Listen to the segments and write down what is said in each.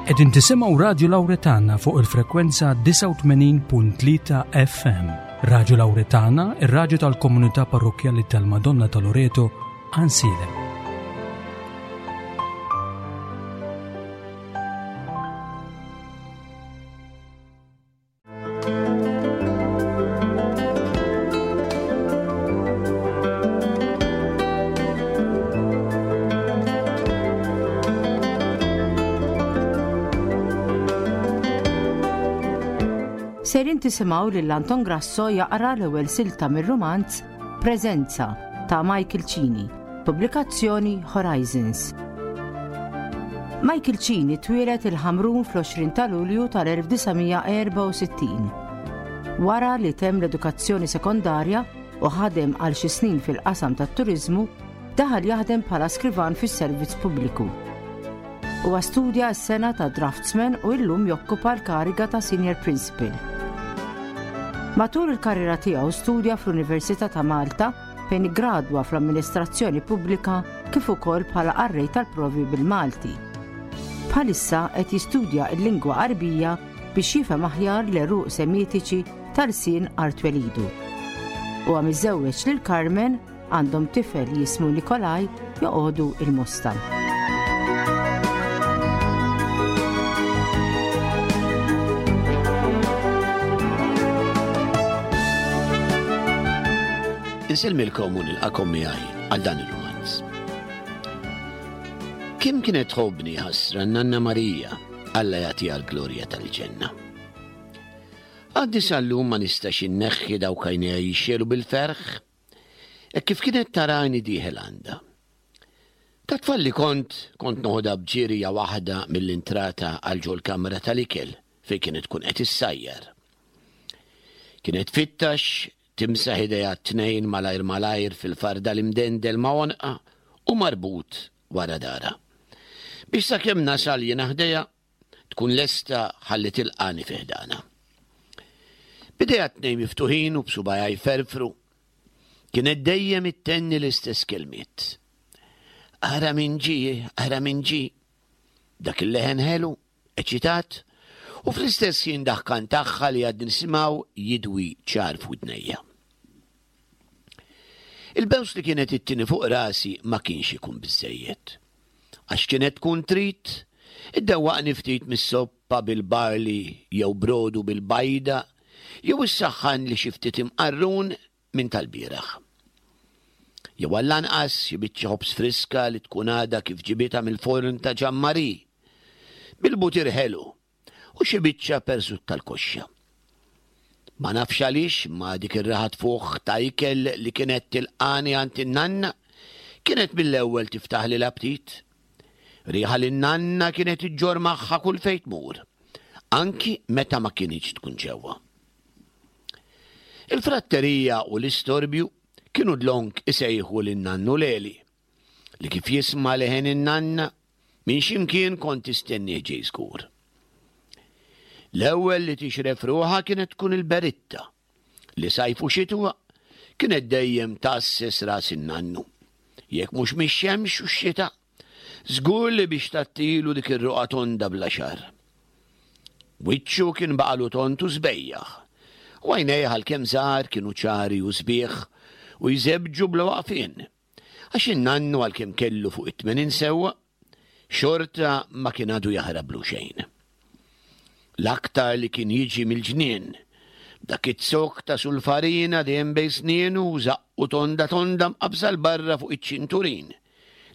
Qegħdin tisimgħu Radju Lawretana fuq il-frekwenza 89.3 FM. Radju Lawretana, ir-radju tal-komunità parrokkjali tal-Madonna ta' Loreto, Ansilem. Sejrin tisimgħu lil Anton Grasso jaqra l-ewwel silta mir-rumanz Preżenza ta' Michael Cini, pubblikazzjoni Horizons. Michael Cini twieled il-Ħamrun fl-20 ta' Lulju tal-1964. Wara li temm l-edukazzjoni sekondarja u ħadem għal xi snin fil-qasam tat-turiżmu, daħal jaħdem bħala skrivan fis-servizz pubbliku. Huwa studja s-sena ta' draftsman u illum jokkupa l-kariga ta' senior principal. Matul il-karriera tiegħu studja fl-Università ta' Malta fejn iggradwa fl-Amministrazzjoni Pubblika kif ukoll bħala qarrej tal-provi bil-Malti. Bħalissa qed jistudja l-lingwa Għarbija biex jifhem aħjar l-għeruq Semitiċi ta' lsien art twelidu. Huwa miżżewweġ lil Carmen, għandhom tifel jismu Nikolaj joqogħdu il-Mosta. Insellmilkom u nilqakom miegħi għal dan ir-rumanz. Kim kienet tħobbni ħasra Nanna Marija, Alla jagħtiha l-glorja tal-ġenna. Għaddi sal-lum ma nistax inneħħi dawk għajnejha jixxelu bil-ferħ, hekk kif kienet tarani dieħel għandha. Ta' tfal li kont, kont noħodha b'ġirja waħda mill-intrata għal ġol-kamra tal-ikel fejn kienet tkun qed issajjar. Kienet tfittax timsaħ idejha t-tnejn malajr malajr fil-fardal imdendel ma' għonqha u marbut wara darha. Biex sakemm nasal jiena ħdejha, tkun lesta ħalli tilqagħni fi ħdanha. B'idejha t-tnejn miftuħin u b'subgħajha jferfru, kienet dejjem ittenni l-istess kelmiet. Ara min ġie, ara min ġie. Dak il-leħen ħelu, eċitat, u fl-istess ħin daħkan tagħha li għad nisimgħu jidwi ċar f'widnejja. Il-bews li kienet ittini fuq rasi ma kienx ikun biżżejjed. Għax kienet tkun trid iddewwaqni ftit mis-soppa bil-barley jew brodu bil-bajda jew issaħħanli xi ftit imqarrun minn tal-bieraħ. Jew għall-anqas xi biċċa ħobż friska li tkun għadha kif ġibitha mill-forn ta' Ġan Marie, bil-butir ħelu u xi biċċa persut tal-koxxa. Ma nafx għaliex imma dik ir-riħa tfuħ ta' ikel li kienet tilqani għand in-nanna kienet mill-ewwel tiftaħli l-aptit. Riħa li n-nanna kienet iġġorr magħha kull fejn tmur, anki meta ma kinitx tkun ġewwa. Il-fratterija u l-istorbju kienu dlonk isejħu lin-nannu Leli, li kif jisma' leħen in-nanna, minn xi mkien kont tistennieh ġej żgur. L-ewwel li tixref ruħha kienet tkun il-beritta, li sajf u xitwa kienet dejjem tgħasses ras in-nannu. Jekk mhux mix-xemx u x-xita, żgur li biex tgħattilu dik ir-roqgħa tonda bla xagħar. Wiċċu kien baqalu tond u sbejjaħ, u għajnejh għalkemm żgħar kienu ċari u sbieħ u jżebbġu bla waqfien. Għax in-nannu għalkemm kellu fuq it-80 sewwa, xorta ma kien għadu jaħrablu xejn. L-aktar li kien jiġi mill-ġnien, b'dak iz-zokk ta' sulfarina dejjem bejn snienu u żaqqu tonda tonda mqabbża 'l barra fuq iċ-ċinturin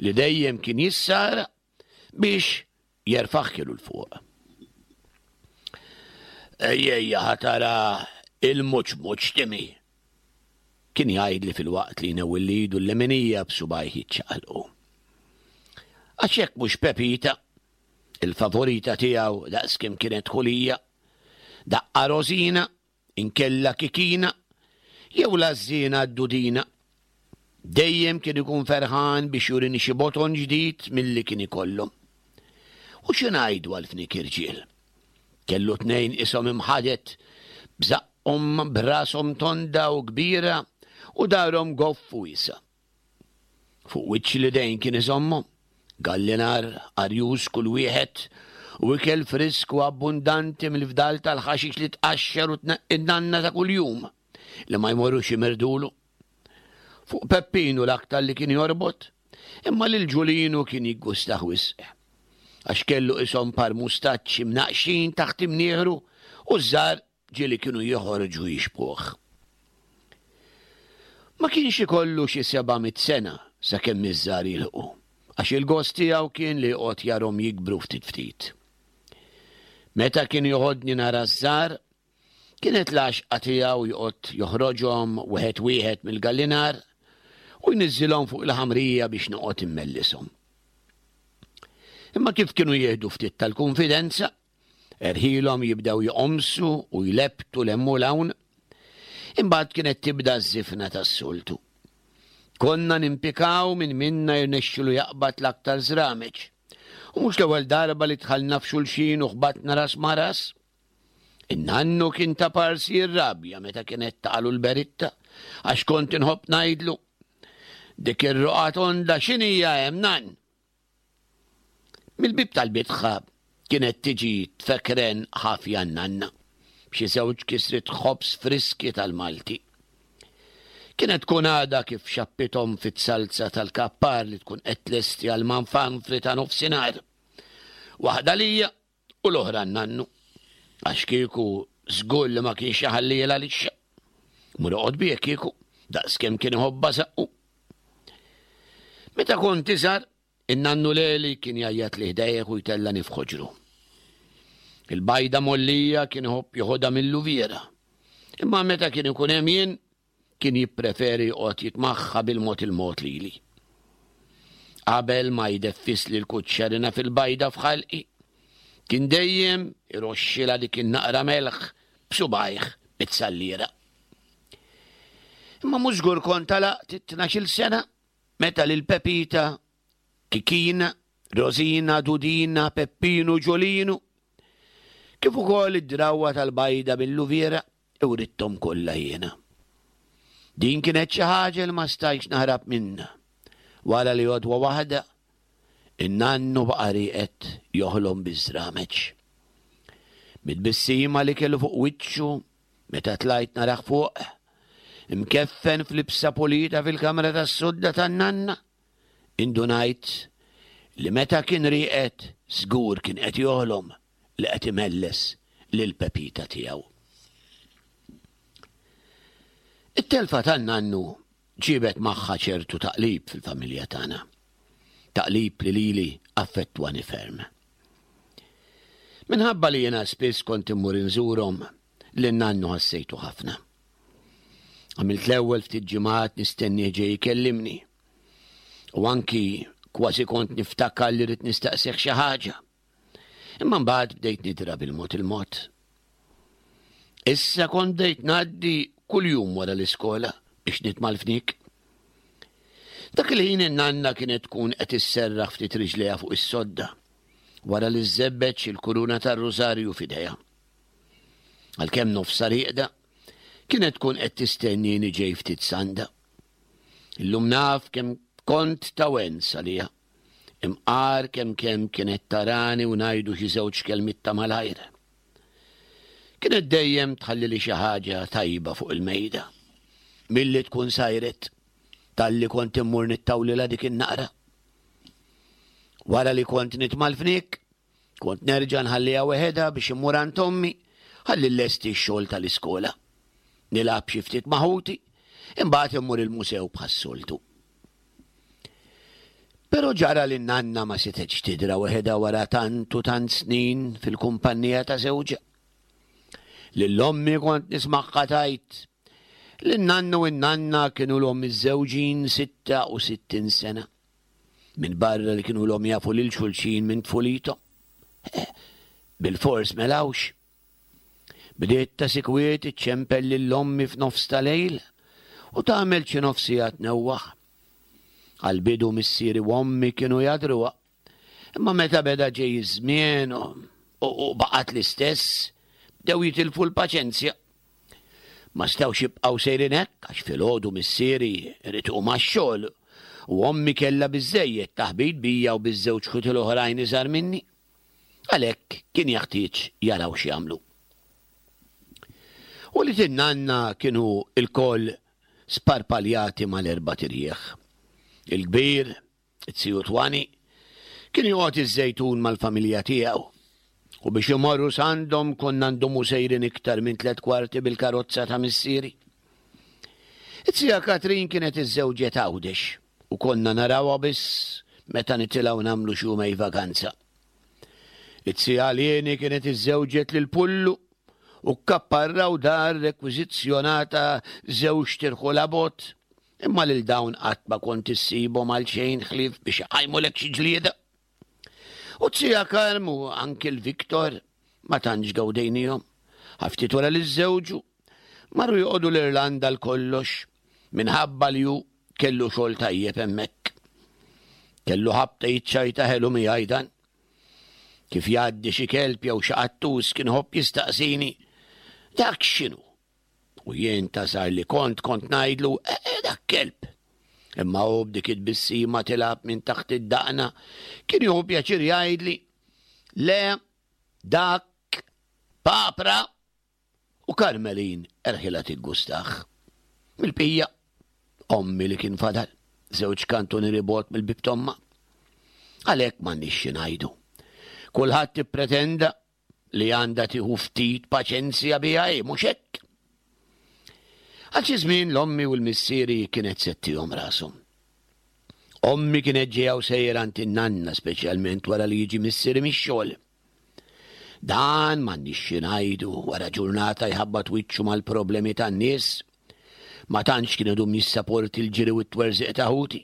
li dejjem kien jissara biex jerfagħhielu 'l fuq. Ejja ħa tara il-muċ muċ Timmy, kien jgħidli filwaqt li jnewwilli idu l-leminija b'subgħajh jiċċaqalqu. Għax jekk mhux Pepita, il-favorita tiegħu daqskemm kienet ħulija, daqqa Rosina, inkella Kikina, jew l-għażżiena d-Dudina. Dejjem kien ikun ferħan biex jurini xi boton ġdid milli kien ikollhom. U xi ngħidu għal fniek irġiel? Kellu tnejn ishom imħadet, b'żaqqhom b'rashom tonda u kbira u darhom goff u wiesgħa. Fuq wiċċ l-idejn kien iżommhom, gallinar arjuż kull wieħed. U ikel frisk u abbundanti mill-fdal tal-ħaxix li tqaxxer u tneqqi n-nanna ta' kuljum li ma jmorrux jimirdulu. Fuq Peppinu l-aktar li kien jorbot, imma lil Ġulinu kien jiggustah wisq. Għax kellu qishom par mustaċċi mnaqqxin taħt imnieħru u ż-żgħar ġieli kienu joħorġu jixbhuh. Ma kienx ikollu xi 700 sena sakemm iż-żgħar jilħqu, għax il-gost tiegħu kien li joqgħod jarhom jikbru ftit ftit. Meta kien joħodni nara ż-żgħar, kienet l-għaxqa tiegħu joqgħod joħroġhom wieħed wieħed mill-gallinar u jniżżilhom fuq il-ħamrija biex noqgħod immellishom. Imma kif kienu jieħdu ftit tal-kunfidenza, Erħilhom jibdew joqomsu u jlebbtu 'l hemm u 'l hawn. Imbagħad kienet tibda ż-żifna tas-soltu. Konna nimpikaw min minna jirnexxilu jaqbad l-aktar żrameġ. U mhux l-ewwel darba li dħalna f'xulxin u ħbatna ras ma' ras. In-nannu kien ta' parsi jirrabja meta kienet taqalu l-beritta għax kont inħobb ngħidlu, Dik ir-roqgħa tonda x'inhija hemm, nann? Mill-bieb tal-bitħa kienet tiġi tfekren ħafja n-nanna, b'xi żewġ kisriet ħobż friski tal-Malti. Kienet tkun għadha kif xappithom fit-salza tal-kappar li tkun qed tlesti għall-manfanfri ta' nofsinhar. Waħda lija u l-oħra n-nannu. Għax kieku żgur li ma kienx iħallielha lixxa. Mur oqgħod bih kieku, daqskemm kien iħobbha saqqu. Meta kont iżgħar, in-nannu Leli kien jgħajjatli ħdejh u jtellani f'ħoġru. Il-bajda mgħollija kien iħobb joħodha mil-luviera. Imma meta kien ikun hemm jien, kien jippreferi joqgħod jitmaħħa bil-mod il-mod lili. Qabel ma jdeffisli l-kuċċarina fil-bajda f'ħalqi, kien dejjem iroxxilha dik in-naqra melħ b'subgħajh mit-salliera. Imma mhux żgur kont għalaqt it-tnax-il sena meta lil Pepita, Kikina, Rosina, Dudina, Peppinu, Ġulinu, kif ukoll id-drawwa tal-bajda bil-luviera iwritthom kollha jiena. Din kienet xi ħaġa li ma stajtx naħrab minnha. Wara li għodwa waħda, in-nannu baqa' rieqed joħlom biż-żrameġ. Mit-tbissima li kellu fuq wiċċu Meta tlajt narah fuq, imkeffen f'libsa pulita fil-kamra tas-sodda tan-nanna, indunajt li meta kien rieqed żgur kien qed joħlom li qed imelles lil Pepita tiegħu. It-telfa tan-nannu ġiebet magħha ċertu taqlib fil-familja tagħna. Taqlib li lili affettwani ferm. Minħabba li jiena spiss kont immur inżurhom, lin-nannu ħassejtu ħafna. Għamilt l-ewwel ftit ġimgħat nistennieh ġej ikellimni. U anki kważi kont niftakar li rrid nistaqsih xi ħaġa. Imma mbagħad bdejt nidra bil-mod il-mod. Issa kont bdejt ngħaddi kuljum wara l-iskola biex nitma' l-fniek. Dak il-ħin in-nanna kienet tkun qed isserraħ ftit riġlejha fuq is-sodda wara li żżebbeġ il-kuruna tar-rużarju f'idejha. Għalkemm nofsha rieqda, kienet tkun qed tistennini ġej ftit sanda. Illum naf kemm kont ta' wens għaliha. Imqar kemm kemm kienet tarani u ngħidu xi żewġ kelmiet ta' malajr. Kienet dejjem tħallili xi ħaġa tajba fuq il-mejda. Milli tkun sajret, talli kont immur nittawlilha dik in-naqra. Wara li kont nitma' l-fniek, Kont nerġa' nħalliha weħedha biex immur għand ommi ħalli llesti x-xogħol tal-iskola. Nilgħab xi ftit ma' ħuti, imbagħad immur il-musew bħas-soltu. Però ġara li n-nanna ma setgħetx tidra weħedha wara tant u tant snin fil-kumpannija ta' żewġha. Lil ommi kont nismagħha tgħid li n-nannu u n-nanna kienu l-om miżżewġin 66 sena. Minbarra li kienu ilhom jafu lil xulxin minn tfulithom. Eh, bilfors melawx. Bdiet ta' sikwiet iċċempel lil ommi f'nofs ta' lejl u tagħmel xi nofs siegħa tnewwaħ. Għall-bidu missieri u ommi kienu jadruha. Imma meta beda ġej iż-żmien u baqgħet l-istess, bdew jitilfu l-paċenzja. Ma setgħux jibqgħu sejrin hekk għax filgħodu missieri ried iqum għax-xogħol u ommi kellha biżżejjed taħbit bija u biż-żewġ ħuti l-oħrajn iżgħar minni. Għalhekk kien jaħtieġ jaraw x'jagħmlu. U li tinnanna kienu lkoll sparpaljati mal-erbat irjieħ. Il-kbir, it-ziju Twani, kien joqgħod iż-Żejtun mal-familja tiegħu. U biex imorru s'għandhom konna ndumu sejrin iktar minn tlett kwarti bil-karozza ta' missieri. It-zija Katrin kienet iżżewġet Għawdex u konna narawha biss meta nitilgħu nagħmlu xi jumej vaganza. It-zija Lieni kienet iżżewġet lil Pullu u kkapparraw dar rekwiżizzjonata żewġt irħula bogħod, imma lil dawn qatt ma kont issibhom għal xejn ħlief biex iqajmulek xi ġlieda. U t-zija Karm u anki l-Victor ma tantx gawdejnihom. Ftit wara li żżewġu, marru joqogħdu l-Irlanda għal kollox minħabba li hu kellu xogħol tajjeb hemmhekk. Kellu ħabta jiċċajta ħelu miegħi dan. Kif jgħaddi xi kelb jew xi qattus kien iħobb jistaqsini, dak x'inhu? U jien ta' żgħar li kont kont ngħidlu, eh, eh, dak kelb. Imma hu b'dik it-tbissima tilgħab minn taħt id-daqna kien jieħu pjaċir jgħidli, le, dak papra u Karmelin erħilha tiggustah. Mill-bqija, ommi li kien fadal, żewġ kantunieri bogħod mill-bieb t'ommha. Għalhekk m'għandniex xi ngħidu. Kulħadd ippretenda li għandha tieħu ftit paċenzja biha hi, mhux hekk? Għal xi żmien l-ommi u l-missieri kienet settihom rashom. Ommi kienet ġejja u sejra għand in-nanna speċjalment wara li jiġi missieri mix-xogħol. Dan m'għandniex xi ngħidu wara ġurnata jħabbat wiċċu mal-problemi tan-nies. Ma tantx kien idum jissaporti l-ġiri u t-twerżiq ta' ħuti.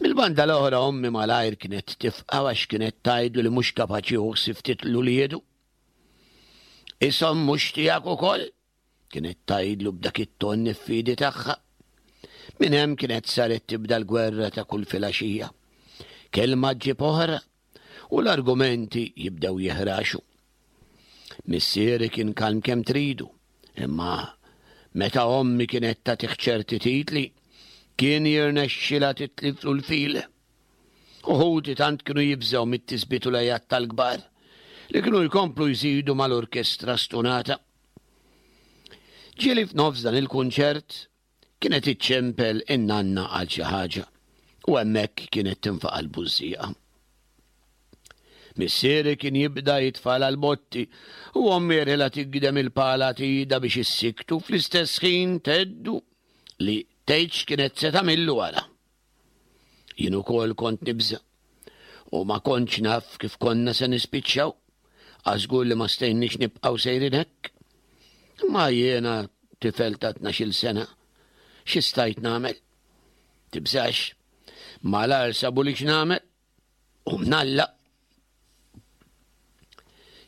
Mill-banda l-oħra ommi malajr kienet tifqa' għax kienet tgħidlu li mhux kapaċi jieħu ħsieb ftit 'l uliedu. Ishom mhux tiegħek ukoll? Kienet tgħidlu b'dak it-ton niffidi tagħha. Minn hemm kienet saret tibda l-gwerra ta' kull filgħaxija. Kelma ġġib oħra u l-argumenti jibdew jiħraxu. Missieri kien kalm kemm tridu, imma meta ommi kienet tagħtih ċerti titli, kien jirnexxilha titliflu l-fil. U ħuti tant kienu jibżgħu mit-tisbit u l-għejat tal-kbar li kienu jkomplu jżidu mal-orkestra stunata. Ġieli f'nofs dan il-kunċert kienet iċċempel in-nanna għal xi ħaġa u hemmhekk kienet tinfaqa' l-bużżieqa. Missieri kien jibda jitfala l-botti u ommi erħilha tigdem il-pala t'idha biex issiktu fl-istess ħin tgħeddu li tgħid x'kienet se tagħmillu wara. Jien ukoll kont nibża' u ma kontx naf kif konna se nispiċċaw, għax żgur li ma stejniex nibqgħu sejrin hekk. Imma jiena tifel ta' tnax-il sena, xi stajt nagħmel? Tibżax, malajr sabuli x'nagħmel u mnalla.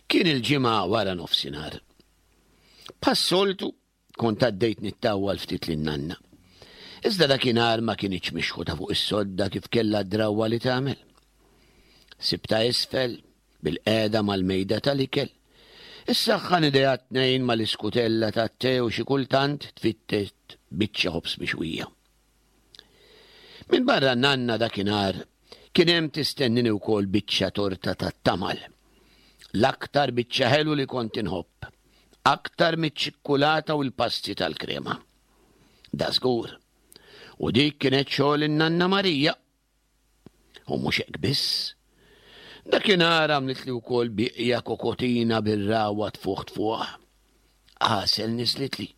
Kien il-ġimgħa wara nofsinhar. Bħas-soltu Kont għaddejt nittawwal ftit lin-nanna. Iżda dakinhar ma kinitx mixħuta fuq is-sodda kif kellha d-drawwa li tagħmel. Sibtha isfel, bilqiegħda mal-mejda tal-ikel. Issaħħan idejha t-tnejn mal-iskutella tat-te u xi kultant tfittet biċċa ħobż mixwija. Minbarra n-nanna dakinhar kien hemm tistennini wkoll biċċa torta tat-tamal. L-aktar biċċa ħelu li kont inħobb, aktar miċ-ċikkulata u l-pasti tal-krema. Dażgur. U dik kienet xogħol in-nanna Marija. U mhux hekk biss. Dakinhar għamlitli wkoll bieqja kokotina bir-ragħwa tfuħ tfuħ. Għasel niżlitli.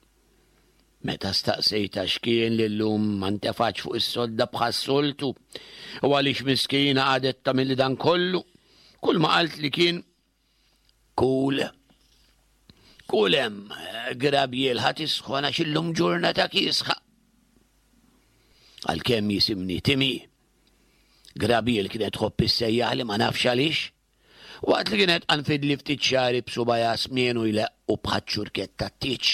Meta staqsejtha x'kien li llum ma ntefatx fuq is-sodda bħas-soltu u għaliex miskina qagħdet tagħmilli dan kollu, kull ma qaltli kien Kul. Kul hemm, grabjiel ħa tisħon għax illum ġurnata kiesħa. Għalkemm jisimni Timi, Grabiel kienet tħobb issejjaħli ma nafx għaliex. Waqt li kienet qanfidli ftit xagħri b'subgħajha smienu jleqqu bħaċ-ċurkett tat-tieġ,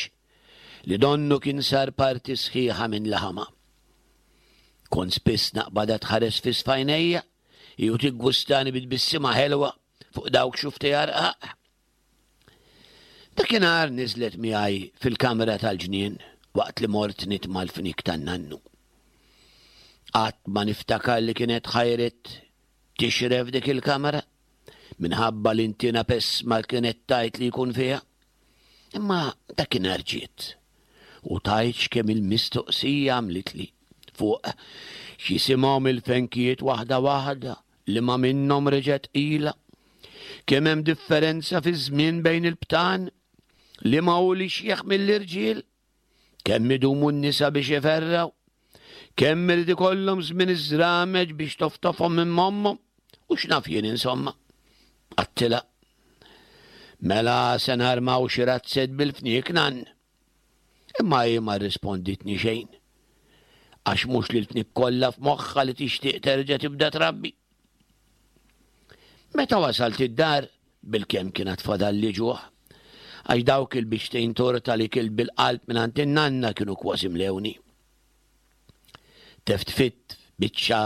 li donnu kien sar parti sħiħa minn laħamha. Kont spiss naqbadha tħares fiss f'għajnejja, hi u tiggustani bi tbissima ħelwa fuq dawk xuftejha rqaq. Dakinhar niżlet miegħi fil-kamra tal-ġnien waqt li mort nitma' l-fniek tan-nannu. Qatt ma niftakar li kienet ħajret tixref dik il-kamra. Minħabba l-intiena pessma kienet tgħid li jkun fiha. Imma dakinhar ġiet u tgħidx kemm il-mistoqsija għamlitli fuq x'jisimhom il-fenkijiet waħda waħda liema minnhom reġgħet tqila, kemm hemm differenza fiż-żmien bejn il-btan, liema hu l-ixjeħ mill-irġiel, kemm idumu n-nisa biex iferrgħu, kemm irid ikollhom żmien iż-żrameġ biex toftofhom minn mommhom, u x'naf jien insomma. Għattilha. Mela se narmaw xi razzett bil-fniek nann. Imma hi ma rrisponditni xejn. Għax mhux lil fniek kollha f'moħħha li tixtieq terġa' tibda trabbi. Meta wasalt id-dar, bilkemm kien għad fadalli ġuħ. Għax dawk il-biċċtejn torta li kilt bil-qalb mingħand in-nanna kienu kważi mlewni. Teftfitt biċċa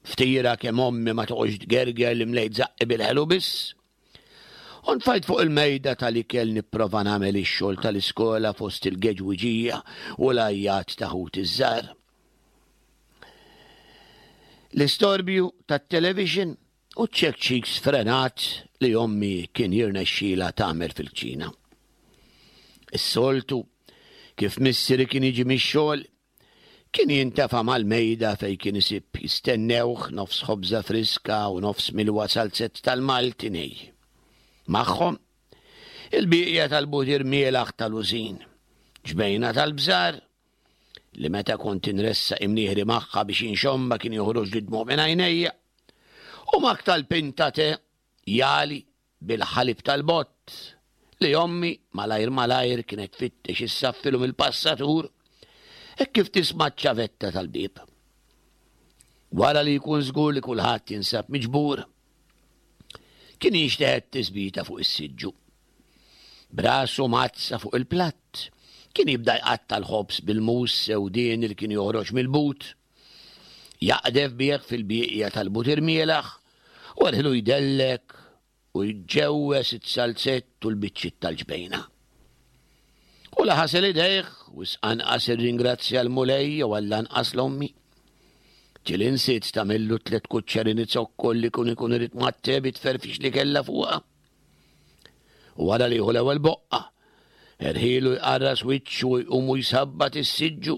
ftira kemm ommi ma toqgħodx tgerger li mlejt żaqqi bil-ħelu biss. U ntfajt fuq il-mejda tal-ikel nipprova nagħmel ix-xogħol tal-iskola fost il-geġwiġija u l-għajjat ta' ħuti ż-żgħar. L-istorbju tat-television u ċ-ċekċik sfrenat li ommi kien jirnexxilha tagħmel fil-kċina. Is-soltu, kif missieri kien jiġi mix-xogħol, Kien jintefa' mal-mejda fejn kien isib jistennewh nofs ħobża friska u nofs milwa salzett tal-Malti nej. Magħhom, il-bieqja tal-butir mielaħ tal-użin, ġbejna tal-bżar, li meta kont inressaq imnieħri magħha biex inxommha kien joħroġli d-dmugħ minn għajnejja, u mak tal-pinta te jagħli bil-ħalib tal-bott li ommi malajr malajr kienet tfittex issaffilu mill-passatur hekk kif tisma' ċ-ċavetta tal-bieb. Wara li jkun żgur li kulħadd jinsab miġbur, kien jinxteħet tisbita fuq is-siġġu. B'rasu mgħaddsa fuq il-platt, kien jibda jqatta' l-ħobż bil-mus sewdieni li kien joħroġ mill-but. Jaqdef bih fil-bieqja tal-butir mielaħ u erħilu jdellek u jġewwes it-salzett u l-biċċiet tal-ġbejna. U la ħasel idejh, wisq anqas irringrazzja l-Mulej jew għall-anqas l-ommi. Ġieli nsiet tagħmillu tlett kuċċerini zokkor li kun ikun irid mat-te bit-tferfix li kellha fuqha. U wara li jieħu l-ewwel boqqa, erħilu jqarras wiċċu u jqum u jsabbat is-siġġu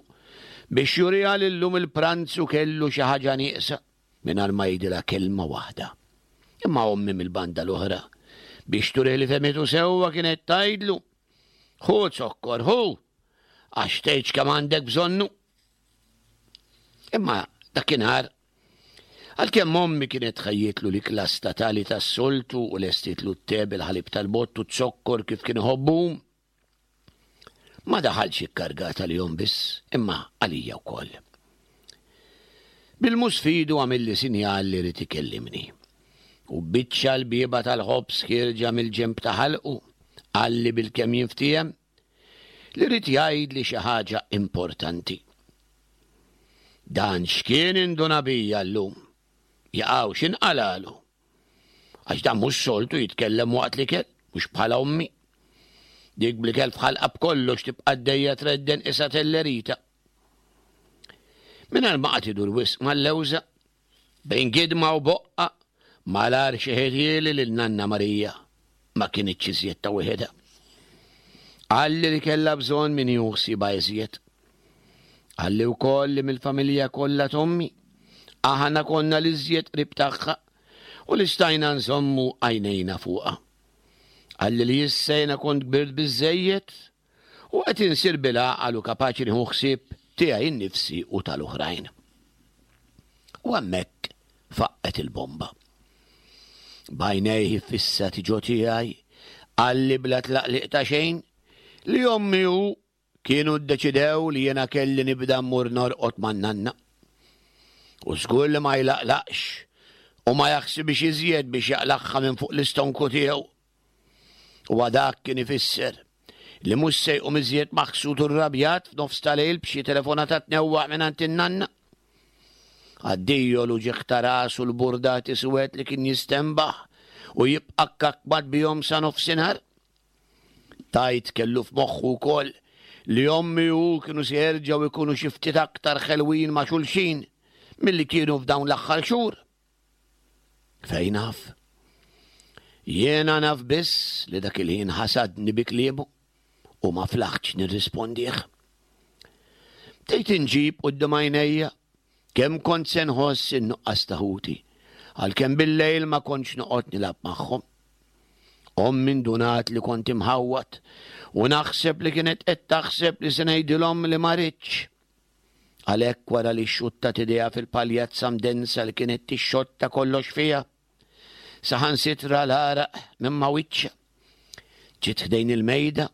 biex juriha li llum il-pranzu kellu xi ħaġa nieqsa mingħajr ma jgħidilha kelma waħda. Imma ommi mill-banda l-oħra, biex turih li fehmitu sewwa kienet tgħidlu, Ħu zokkor, ħu, għax tgħidx kemm għandek bżonnu. Imma dakinhar Għalkemm ommi kienet ħejjietlu l-ikla statali tas-soltu u lestietlu t-te bil-ħalib tal-bott u z-zokkor kif kien iħobbu, ma daħalx ikkargat għalihom biss, imma għalija wkoll. Bil-mus f'idu għamilli sinjal li ried ikellimni. U biċċa l-bieba tal-ħobż ħierġa mill-ġenb ta' ħalqu, qalli bilkemm jinftiehem, li ried jgħidli xi ħaġa importanti. Dan x'kien induna bija llum? Jaqaw x'inqalalu? Għax dan mhux soltu jitkellem waqt l-ikel, mhux bħala ommi. Dik bl-ikel f'ħalqa b'kollox tibqa' għaddejja tredden qisha tellerita. Mingħajr ma qagħad idur wisq mal-lewża, Bejn gidma u boqqa, malajr xeħithieli lil Nanna Marija ma kinitx iżjed ta' wieħedha. Qalli li kellha bżonn min jieħu ħsiebha iżjed. Qalli wkoll li mill-familja kollha t'ommi, aħna konna l-iżjed qrib tagħha u li stajna nżommu għajnejna fuqha. Qalli li issa jiena kont kbirt biżżejjed U qed insir bil-għaqal u kapaċi nieħu ħsieb tiegħi nnifsi u tal-oħrajn. U hemmhekk faqqgħet il-bomba. B'għajnejh iffissati ġo tiegħi, qalli bla tlaqliq ta' xejn li ommi u kienu ddeċidew li jiena kelli nibda mmur norqod man-nanna. U żgur li ma jlaqlaqx u ma jaħsibhiex iżjed biex jaqlagħha minn fuq l-istonku tiegħu. Huwa dak kien ifisser li mhux se jqum iżjed maħsud u rrabjat f'nofs ta' lejl b'xi telefonata tnewwaħ mingħand in-nanna. Addio l-uġigħ ta' ras u l-burdati suwed li kien jistenbaħ u jibqa' kkakmat bihom sa nofsinhar. Tgħid kellu f'moħħu wkoll li ommi u hu kienu se jerġgħu jkunu xi ftit aktar ħelwin ma' xulxin milli kienu f'dawn l-aħħar xhur. Fejn naf? Jiena naf biss li dak il-ħin ħasadni bi kliemu u ma flaħtx nirrispondih. Bdejt inġib quddiem għajnejja kemm kont se nħoss in-nuqqas ta' ħuti, għalkemm bil-lejl ma kontx noqgħod nilgħab magħhom. Ommi ndunat li kont imħawwad u naħseb li kienet qed taħseb li se ngħidilhom li ma ridtx. Għalhekk wara li xxuttat idejha fil-paljazza mdensa li kienet tixxotta kollox fiha, saħansitra l-għaraq minn ma' wiċċha. Ġiet ħdejn il-mejda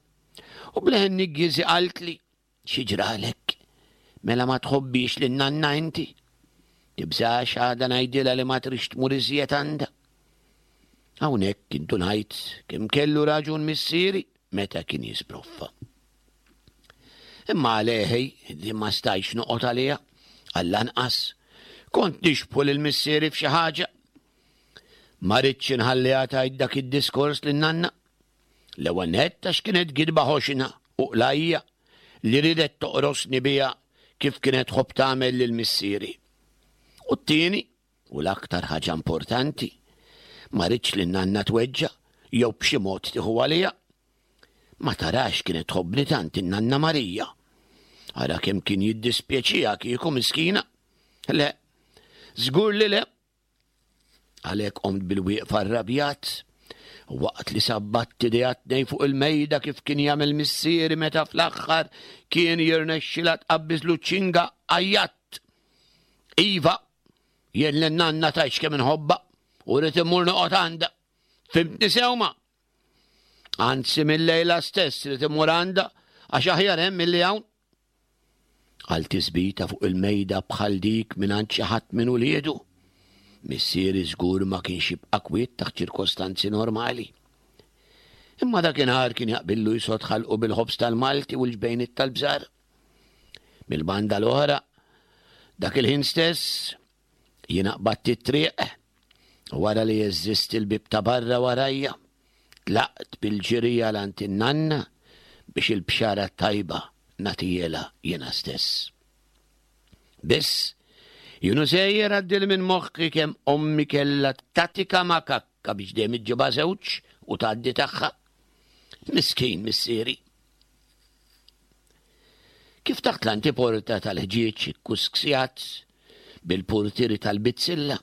u b'leħen niggieżi qaltli, Xi ġralek? Mela ma tħobbix lin nanna inti? Tibżax għada ngħidilha li ma trix tmur iżjed għandha. Hawnhekk indunajt kemm kellu raġun missieri meta kien jisbroffa. Imma għaleħi li ma stajtx noqgħod għaliha, għall-anqas kont nixbħu lil missieri f'xi ħaġa. Ma ridtx inħalliha tgħid dak id-diskors lin nanna. L-ewwel nett għax kienet gidba ħoxna u qlajja li riedet toqrosni biha kif kienet tħobb tagħmel lil missieri. U t-tieni, u l-aktar ħaġa importanti, ma ridtx li nanna tweġġa' jew b'xi mod tieħu għaliha. Ma tarax kienet tħobbni tant in-nanna Marija. Ara kemm kien jiddispjaċiha kieku miskina. Le, żgur li le. Għalhekk qomt bil-wieqfa rrabjat, waqt li sabbatt idejha tnejn fuq il-mejda kif kien jagħmel missieri meta fl-aħħar kien jirnexxilha tqabbiżlu ċ-ċinga, għajjatt. Iva, jien lin nanna tgħidx kemm inħobbha u rrid immur noqgħod għandha. Fhimtni sew ma? Anzi mil-lejla stess rrid immur għandha għax aħjar hemm milli hawn. Għal tisbita fuq il-mejda bħal dik mingħand xi ħadd minn uliedu, missieri żgur ma kienx jibqa' kwiet taħt ċirkostanzi normali. Imma dakinhar kien jaqbillu jsod ħalqu bil-ħobż tal-Malti u l-ġbejniet tal-bżar. Mill-banda l-oħra, dak il-ħin stess, Jiena qbadt it-triq u wara li jeżżist il-bieb ta' barra warajja, tlaqt bil-ġiri għal għand in-nanna biex il-bxara t-tajba nagħtihielha jiena stess. Biss, jien u sejjer għaddieli minn moħħi kemm ommi kellha tatika makakka biex dejjem iġġibha żewġ u tgħaddi tagħha. Miskin missieri. Kif taħt l-antiporta tal-ħġieġ ikkusksjat bil-purtieri tal-bizzilla,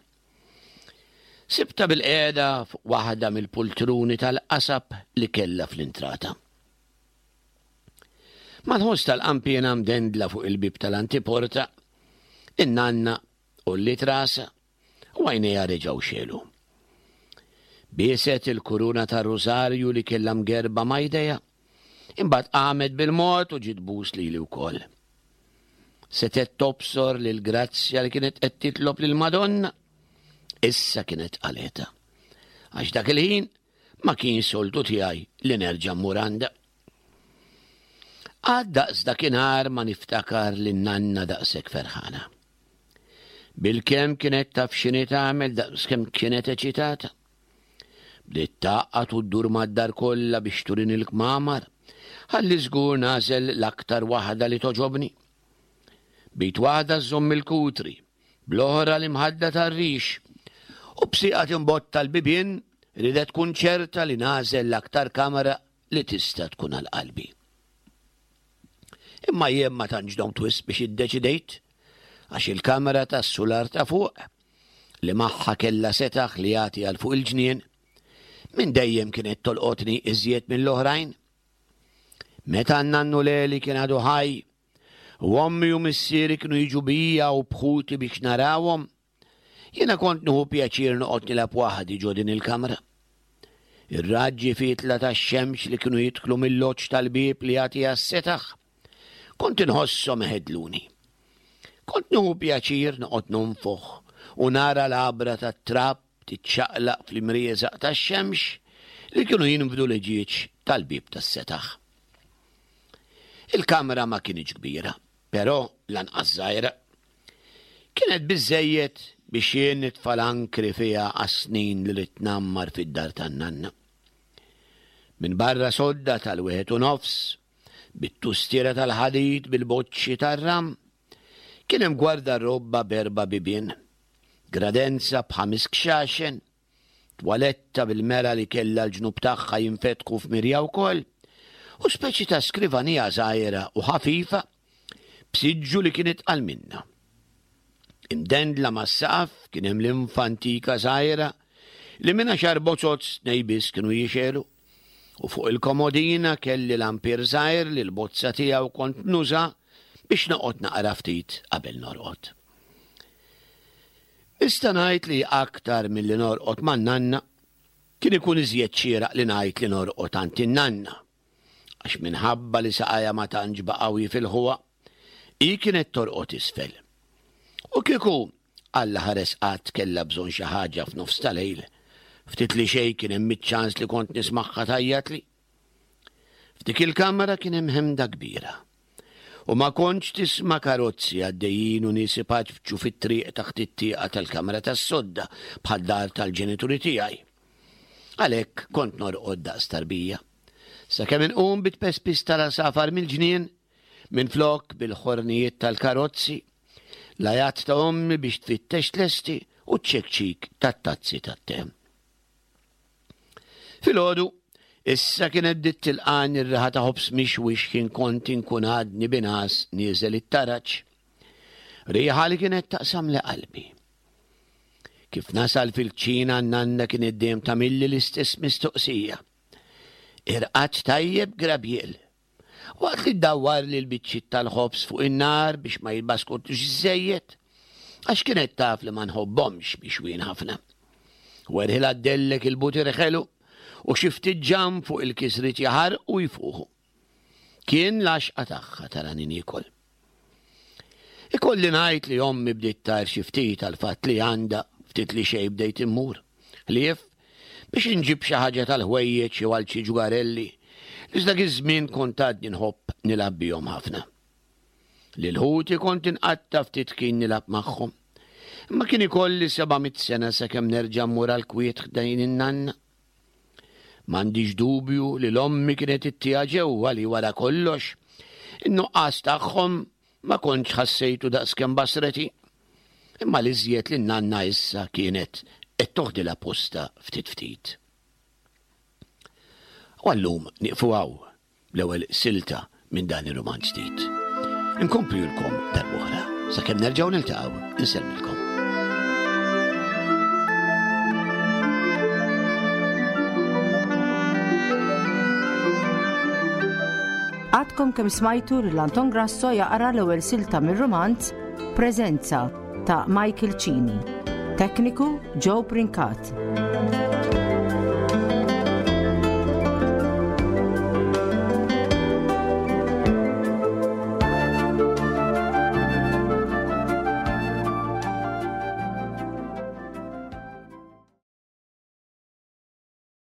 sibtha bilqiegħda fuq waħda mill-pultruni tal-qasab li kellha fl-intrata. Mal-ħoss tal-qanpiena mdendla fuq il-bieb tal-antiporta, in-nanna għolliet rasha u għajnejha reġgħu xegħlu. Bieset il-kuruna tar-rużarju li kellha mgerba ma' jdejha, imbagħad qamet bil-mod u ġiet tbus lili wkoll. Setgħet tobsor li l-grazzja li kienet qed titlob lill-Madonna issa kienet qaleta. Għax dak il-ħin ma kien soltu tiegħi li nerġa' mmur għandha. Għad daqs dakinhar ma niftakar li nanna daqshekk ferħana. Bilkemm kienet taf x'inhi tagħmel daqskemm kienet eċitata. Bdiet tgħaqqad u ddur mad-dar kollha biex turini l-kmamar, ħalli żgur nagħżel l-aktar waħda li togħġobni. B'id waħda żżomm il-kutri, bl-oħra l-imħadda tar-rix, u b'sieqha timbotta l-bibien ridet tkun ċerta li nagħżel l-aktar kamra li tista' tkun għal qalbi. Imma jien ma tantx domt wisq biex iddeċidejt, għax il-kamra tas-sular ta' fuq, li magħha kellha setaħ li jagħti għal fuq il-ġnien, minn dejjem kienet tolqotni iżjed mill-oħrajn. Meta n-nannu Leli kien għadu ħaj, u ommi u missieri kienu jiġu bija u bħuti biex narawhom, Jiena kont nieħu pjaċir noqgħod nilgħab waħdi ġo din il-kamra. Ir-raġġi fietla tax-xemx li kienu jidħlu mill-loġġ tal-bieb li jagħti għas-setaħ, kont inħosshom iħedluni. Kont nieħu pjaċir noqgħod nonfoħ u nara l-għabra tat-trab tiċċaqlaq fl-imrieżaq tax-xemx li kienu jinfdu l-ħġieġ tal-bieb tas-setaħ. Il-kamra ma kinitx kbira, però lanqas żgħira. Kienet biżżejjed biex jien nitfa' l-ankri fiha għas-snin li ridt ngħammar fid-dar tan-nanna. Minbarra sodda tal-wieħed u nofs, bit-tustiera tal-ħadid bil-boċċi tar-ram, kien hemm gwardarobba b'erba' bibien, gradenza b'ħames kxaxen, Twaletta bil-mera li kellha l-ġnub tagħha jinfetħu f'mirja wkoll, u speċi ta' skrivanija żgħira u ħafifa b'siġġu li kien itqal minnha. Imdendla mas-saqaf kien hemm linfa antika żgħira li minn għaxar bozoz tnej biss kienu jixegħlu. U fuq il-komodina kelli lampier żgħir li l-bozza tiegħu kont nuża biex noqgħod naqra ftit qabel norqod. Nista' ngħid li aktar milli norqod man-nanna, kien ikun iżjed xieraq li ngħid li norqod għand in-nanna. Għax minħabba li saqajha ma tantx baqgħu jifilħuha, hi kienet torqod isfel. U kieku Alla ħares qatt kellha bżonn xi ħaġa f'nofs ta' lejl, ftit li xejn kien hemm iċ-ċans li kont nismagħha tgħajjatli. F'dik il-kamra kien hemm ħemda kbira. U ma kontx tisma' karozzi għaddejjin u nies ipaċpċu fit-triq taħt it-tieqa tal-kamra tas-sodda bħad-dar tal-ġenituri tiegħi. Għalhekk kont norqod daqs tarbija. Sakemm inqum bit-tpespis tal-għasafar mill-ġnien, minflok bil-ħornijiet tal-karozzi, l-għajat ta' ommi biex tfittex tlesti u ċ-ċekċik tat-tazzi tat-te. Filgħodu, issa kienet bdiet tilqani r-riħa ta' ħobż mixwi x'ħin kont inkun għadni bingħas nieżel it-taraġ. Riħa li kienet taqsamli qalbi. Kif nasal fil-kċina n-nanna kienet dejjem tagħmilli l-istess mistoqsija. Irqadt tajjeb Grabiel? Waqt li ddawwarli l-biċċiet tal-ħobż fuq in-nar biex ma jitbaskutux iżżejjed, għax kienet taf li ma nħobbhomx mixwin ħafna. Werħilha ddellek il-butir ħelu u xi ftit ġamm fuq il-kisriet jaħarqu u jfuħu. Kien l-għaxqa tagħha tarani niekol. Ikolli ngħid li ommi bdiet tgħir xi ftit għall-fatt li għandha ftit li xejn bdejt immur. Ħlief biex inġib xi ħaġa tal-ħwejjeġ jew għal xi ġugarelli li f'dak iż-żmien kont għadni nħobb nilgħab bihom ħafna. Lil ħuti kont inqatta' ftit ħin nilgħab magħhom. Imma kien ikolli 700 sena sakemm nerġa' mmur għall-kwiet ħdejn in-nanna. M'għandix dubju li l-ommi kienet ittiha ġewwa li wara kollox, in-nuqqas tagħhom ma kontx ħassejtu daqskemm basreti. Imma l-iżjed li n-nanna issa kienet qed toħdilha postha ftit ftit. U għallum nieqfu hawn. L-ewwel silta minn dan ir-rumanz ġdid. Inkomplilkom darb'oħra, sakemm nerġgħu niltaqgħu, insellmilkom. Għadkom kemm smajtu lil Anton Grasso jaqra l-ewwel silta mir-rumanz Preżenza ta' Michael Cini. Tekniku Joe Brincat.